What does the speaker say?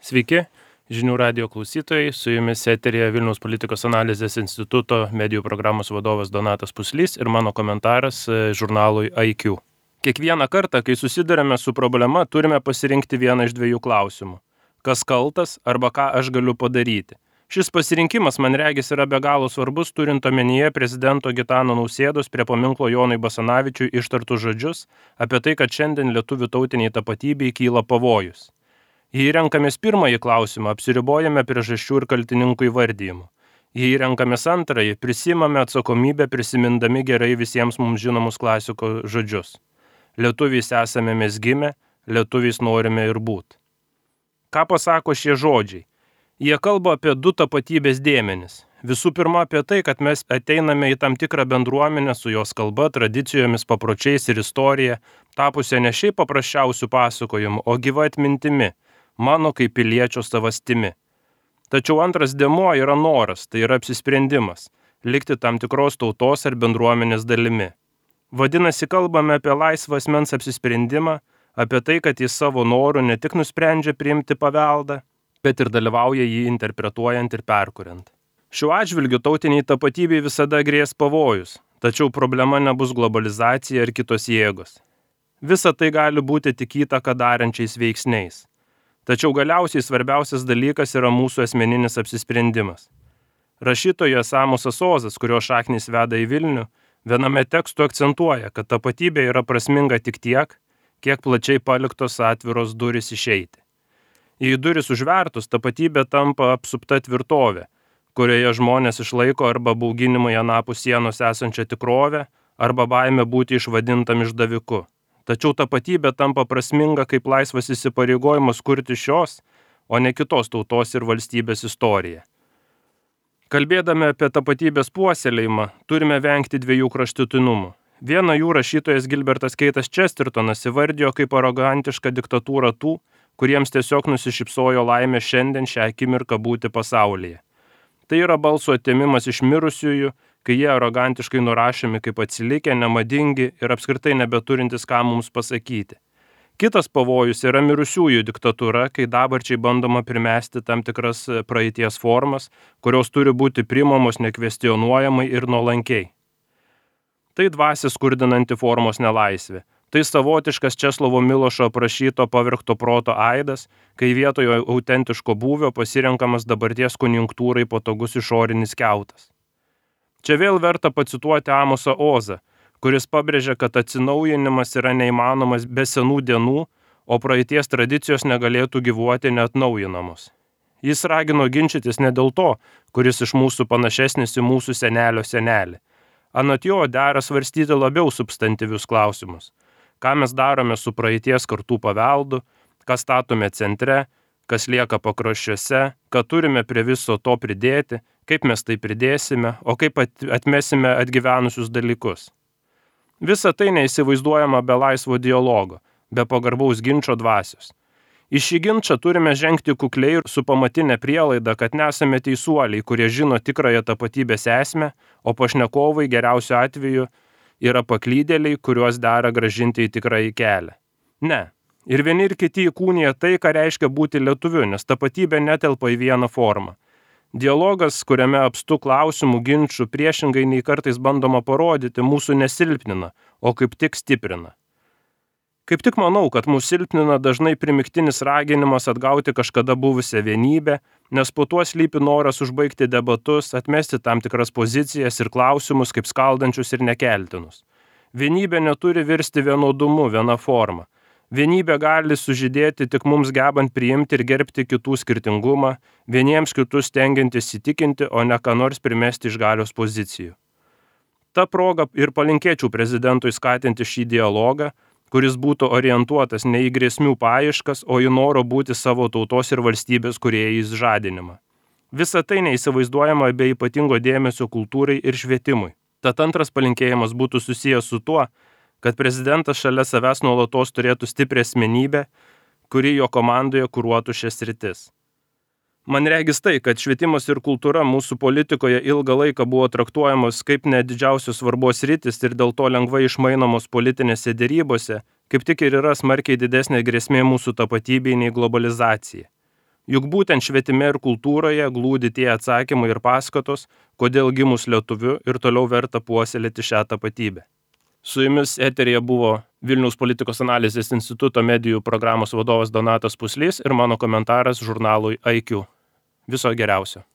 Sveiki, žinių radijo klausytojai, su jumis eterėje Vilniaus politikos analizės instituto medijų programos vadovas Donatas Puslys ir mano komentaras žurnalui IQ. Kiekvieną kartą, kai susidurime su problema, turime pasirinkti vieną iš dviejų klausimų. Kas kaltas arba ką aš galiu padaryti? Šis pasirinkimas, man regis, yra be galo svarbus, turint omenyje prezidento Gitano Nausėdos prie paminklo Jonui Basanavičiui ištartus žodžius apie tai, kad šiandien lietuvių tautiniai tapatybei kyla pavojus. Jei renkamės pirmąjį klausimą, apsiribojame priežasčių ir kaltininkų įvardyjimu. Jei renkamės antrąjį, prisimame atsakomybę prisimindami gerai visiems mums žinomus klasiko žodžius. Lietuviais esame mes gimę, lietuviais norime ir būt. Ką pasako šie žodžiai? Jie kalba apie du tapatybės dėmenis. Visų pirma apie tai, kad mes ateiname į tam tikrą bendruomenę su jos kalba, tradicijomis, papročiais ir istorija, tapusią ne šiaip paprasčiausių pasakojimų, o gyva atmintimi, mano kaip piliečio savastimi. Tačiau antras dėmuo yra noras, tai yra apsisprendimas, likti tam tikros tautos ar bendruomenės dalimi. Vadinasi, kalbame apie laisvą asmens apsisprendimą, apie tai, kad jis savo norų ne tik nusprendžia priimti paveldą, bet ir dalyvauja jį interpretuojant ir perkuriant. Šiuo atžvilgiu tautiniai tapatybei visada grės pavojus, tačiau problema nebus globalizacija ir kitos jėgos. Visa tai gali būti tik įtaką darančiais veiksniais. Tačiau galiausiai svarbiausias dalykas yra mūsų asmeninis apsisprendimas. Rašytojas Amosas Ozas, kurio šaknys veda į Vilnių, viename tekstu akcentuoja, kad tapatybė yra prasminga tik tiek, kiek plačiai paliktos atviros durys išeiti. Jei duris užvertus, tapatybė tampa apsupta tvirtovė, kurioje žmonės išlaiko arba bauginimai anapus sienos esančią tikrovę, arba baimę būti išvadintam išdaviku. Tačiau tapatybė tampa prasminga kaip laisvas įsipareigojimas kurti šios, o ne kitos tautos ir valstybės istoriją. Kalbėdami apie tapatybės puoselėjimą, turime vengti dviejų kraštutinumų. Vieną jų rašytojas Gilbertas Keitas Chestertonas įvardijo kaip arogantišką diktatūrą tų, kuriems tiesiog nusišypsojo laimė šiandien šią akimirką būti pasaulyje. Tai yra balso atėmimas iš mirusiųjų, kai jie arogantiškai nurašomi kaip atsilikę, nemadingi ir apskritai nebeturintis ką mums pasakyti. Kitas pavojus yra mirusiųjų diktatūra, kai dabarčiai bandoma primesti tam tikras praeities formas, kurios turi būti priimamos nekvestionuojamai ir nuolankiai. Tai dvasią skurdinanti formos nelaisvė. Tai savotiškas Česlovo Milošo aprašyto pavirkto proto aidas, kai vietoje autentiško būvio pasirenkamas dabarties konjunktūrai patogus išorinis kiautas. Čia vėl verta pacituoti Amosą Ozą, kuris pabrėžia, kad atsinaujinimas yra neįmanomas be senų dienų, o praeities tradicijos negalėtų gyvuoti neatnaujinamos. Jis ragino ginčytis ne dėl to, kuris iš mūsų panašesnis į mūsų senelio senelį. Anot jo dera svarstyti labiau substantyvius klausimus. Ką mes darome su praeities kartų paveldu, ką statome centre, kas lieka pakraščiuose, ką turime prie viso to pridėti, kaip mes tai pridėsime, o kaip atmesime atgyvenusius dalykus. Visa tai neįsivaizduojama be laisvo dialogo, be pagarbaus ginčo dvasios. Į šį ginčą turime žengti kukliai ir su pamatinė prielaida, kad nesame teisuoliai, kurie žino tikrąją tapatybės esmę, o pašnekovai geriausiu atveju yra paklydėliai, kuriuos dera gražinti į tikrąjį kelią. Ne. Ir vieni ir kiti įkūnija tai, ką reiškia būti lietuviu, nes tapatybė netelpa į vieną formą. Dialogas, kuriame apstu klausimų, ginčų, priešingai nei kartais bandoma parodyti, mūsų nesilpnina, o kaip tik stiprina. Kaip tik manau, kad mūsų silpnina dažnai primiktinis raginimas atgauti kažkada buvusią vienybę, nes po tuo slypi noras užbaigti debatus, atmesti tam tikras pozicijas ir klausimus kaip skaldančius ir nekeltinus. Vienybė neturi virsti vienodumu, viena forma. Vienybė gali sužydėti tik mums gebant priimti ir gerbti kitų skirtingumą, vieniems kitus stengiantis įtikinti, o ne ką nors primesti iš galios pozicijų. Ta proga ir palinkėčiau prezidentui skatinti šį dialogą, kuris būtų orientuotas ne į grėsmių paieškas, o į noro būti savo tautos ir valstybės kūrėjais žadinimą. Visa tai neįsivaizduojama be ypatingo dėmesio kultūrai ir švietimui. Tad antras palinkėjimas būtų susijęs su tuo, kad prezidentas šalia savęs nuolatos turėtų stiprią asmenybę, kuri jo komandoje kuruotų šias sritis. Man regis tai, kad švietimas ir kultūra mūsų politikoje ilgą laiką buvo traktuojamos kaip ne didžiausios svarbos sritis ir dėl to lengvai išmainomos politinėse derybose, kaip tik ir yra smarkiai didesnė grėsmė mūsų tapatybei nei globalizacija. Juk būtent švietime ir kultūroje glūdi tie atsakymai ir paskatos, kodėl gimus lietuviu ir toliau verta puoselėti šią tapatybę. Su jumis eteryje buvo Vilniaus politikos analizės instituto medijų programos vadovas Donatas Puslys ir mano komentaras žurnalui IQ. Viso geriausio.